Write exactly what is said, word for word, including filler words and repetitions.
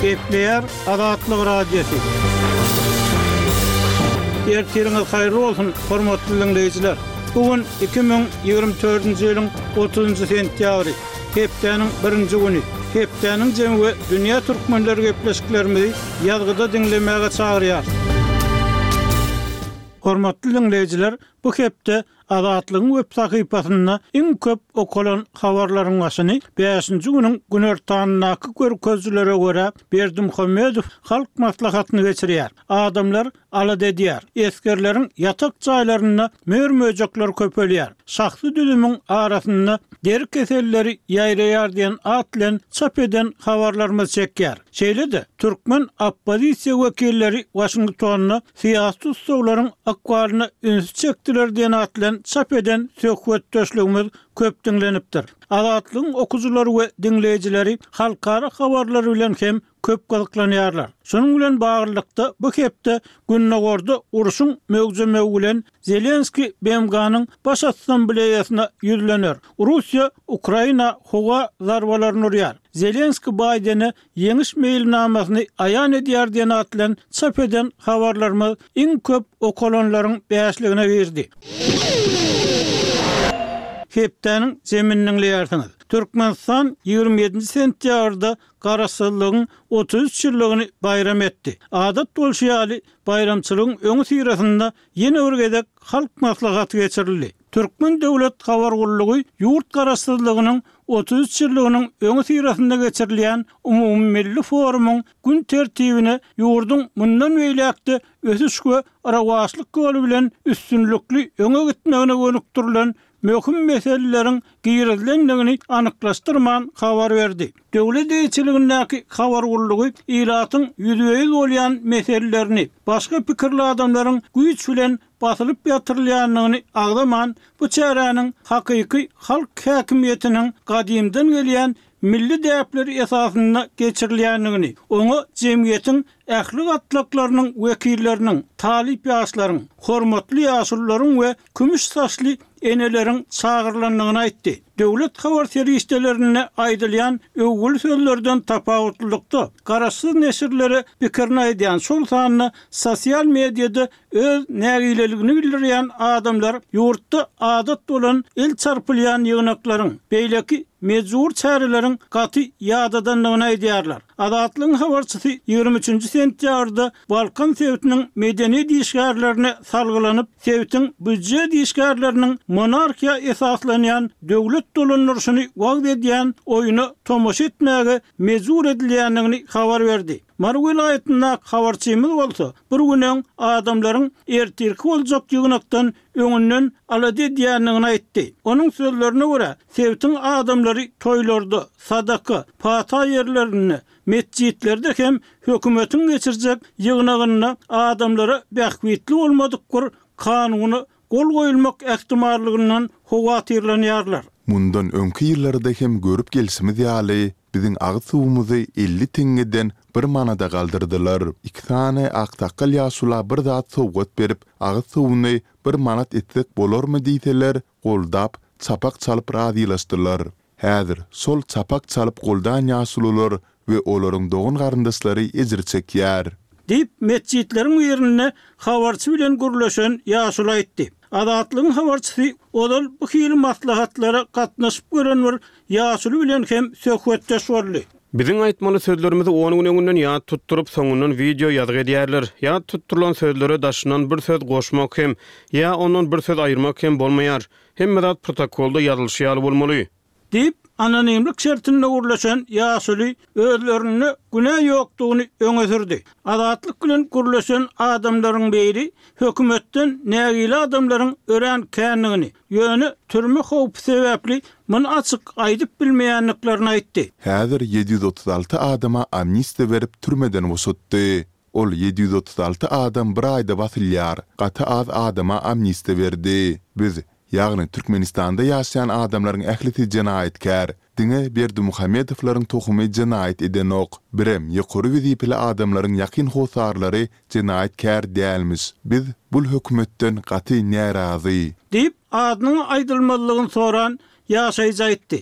Gepleýär Azatlyk Radiosy. Ertiriňiz haýyrly bolsun, hormatly diňleýjiler. Bu gün iki müň ýigrimi dördünji ýylyň otuzynjy sentýabry, hepdäniň birinji güni. Hepdäniň jemi we dünýä türkmenleri gepleşiklerimizi ýazgyda diňlemäge çagyrýar. Hormatly diňleýjiler, bu hepde Azatlygyň web sahypasynda iň köp okalan habarlaryň başyny bäşinji günüň günortanyndaky görkezijilere görä Berdimuhamedow Halk Maslahatyny geçirýär. Adamlar alada edýär. Esgerleriň ýatak jaýlarynda mör-möjekler köpelýär. Şahsy düzümiň arasynda deri keselleri ýaýraýar diýen at bilen çap eden habarlarymyz çekýär. Şeýle-de, türkmen oppozisiýa wekilleri Waşingtonda syýasy tussaglaryň ykbalyna ünsi çekdiler diýen at bilen çap eden söhbetdeşligimiz köp diňlenipdir. Azatlygyň okyjylary we diňleýjileri halkara habarlary bilen hem köp gyzyklanýarlar. Şunuň bilen baglylykda, bu hepde Gündogarda urşuň möwjemegi bilen Zelenskiý B M G-nyň Baş Assambleýasyna ýüzlener. Russiýa Ukraina howa zarbalaryny urýar. Zelenskiý Baýdene ýeňiş meýilnamasyny aýan edýär diýen at bilen çap eden habarlarymyz iň köp okalanlaryň bäşligine girdi. Hepdäniň jemini diňleýärsiňiz. Türkmenistan ýigrimi ýedinji sentýabrda Garaşsyzlygyň otuz üç ýyllygyny baýram etdi. Adat bolşy ýaly, baýramçylygyň öňüsyrasynda ýene bir gezek Halk Maslahaty geçirildi. Türkmen döwlet habar gullugy ýurt Garaşsyzlygynyň otuz üç ýyllygynyň öňüsyrasynda geçirilýän umumymilli forumyň gün tertibine ýurduň mundan beýläk-de ösüş we rowaçlyk ýoly bilen üstünlikli öňe gitmegine gönükdirilen möhüm meseleleriň girizilendigini anyklaşdyrman habar berdi. Döwlet eýeçiligindäki habar gullugy ilatyň ýüzbe-ýüz bolýan meselelerini, başga pikirli adamlaryň güýç bilen basylyp ýatyrylýandygyny agzaman, bu çäräniň hakyky halk häkimiýetiniň gadymdan gelýän milli däpleri esasynda geçirilýändigini, oňa jemgyýetiň ähli gatlaklarynyň wekilleriniň, talyp ýaşlaryň, hormatly ýaşulularyň we kümüş saçly eneleriň çagyrylandygyny aýtdy. Döwlet habar serişdelerinde aýdylýan öwgüli sözlerden tapawutlylykda, garaşsyz neşirlere pikirini aýdýan, şol sanda sosial mediada öz nägileligini bildirýän adamlar ýurtda adat bolan el çarpylýan ýygnaklaryň, beýleki mejbur çäreleriň gaty ýadadandygyny aýdýarlar. Azatlygyň habarçysy ýigrimi üçünji sentýabrda Balkan sebitiniň medeniýet işgärlerine salgylanyp, sebitiň býujet işgärleriniň monarhiýa esaslanýan döwlet dolandyryşyny wagyz edýän oýuna tomaşa etmäge mejbur edilýändigini habar berdi. Mary welaýatyndaky habarçymyz bolsa, bir gün öň adamlaryň ertirki boljak ýygnakdan öňünden alada edýändigini aýtdy. Onuň sözlerine görä, sebitiň adamlary toýlarda, sadaka, pata ýerlerinde, metjitlerde hem hökümetiň geçirjek ýygnagynda adamlara bähbitli bolmadyk bir kanuna gol goýulmak ähtimallygyndan howatyrlanýarlar. Mundan öňki ýyllarda hem görüp gelşimiz ýaly, biziň agyz suwumyzy elli teňňeden bir manada galdyrdylar. Iki sany aksakgal ýaşula bir zat sowgat berip, agyz suwuny bir manat etsek bolarmy diýseler, goldap, çapak çalyp razylaşdylar. Häzir şol çapak çalyp goldan ýaşulular we olaryň dogan-garyndaşlary ejir çekýär. Diýip, metjitleriň birinde habarçy bilen gürleşen ýaşuly aýtdy. Azatlygyň habarçysy ozal bu hili maslahatlara gatnaşyp gören bir ýaşuly bilen hem söhbetdeş boldy. Biziň aýtmaly sözlerimizi on gün öňünden ýat tutduryp, soňundan wideo ýazgy edýärler. Ýat tutdurylan sözlere daşyndan bir söz goşmak hem, ýa ondan bir söz aýyrmak hem bolmaýar. Hemme zat protokolda ýazylyşy ýaly bolmaly. Diýip, anonimlik şertinde gürleşen ýaşuly özlerinde günä ýokdugyny öňe sürdi. Azatlyk bilen gürleşen adamlaryň biri hökümetden nägile adamlaryň örän kändigini, ýöne türme howpy sebäpli muny açyk aýdyp bilmeýändiklerini aýtdy. Häzir ýedi ýüz otuz alty adama amnistiýa berip türmeden boşatdy. Ol ýedi ýüz otuz alty adam bir aýda basylýar, gaty az adama amnistiýa berdi. Biz, ýagny Türkmenistanda ýaşaýan adamlaryň ählisi jenaýatkär. Diňe Berdimuhamedowlaryň tohumy jenaýat edenok. Birem ýokary wezipeli adamlaryň ýakyn hossarlary jenaýatkär dälmiş. Biz bul hökümetden gaty närazy. Diýip, adynyň aýdylmazlygyny soran ýaşaýjy aýtdy.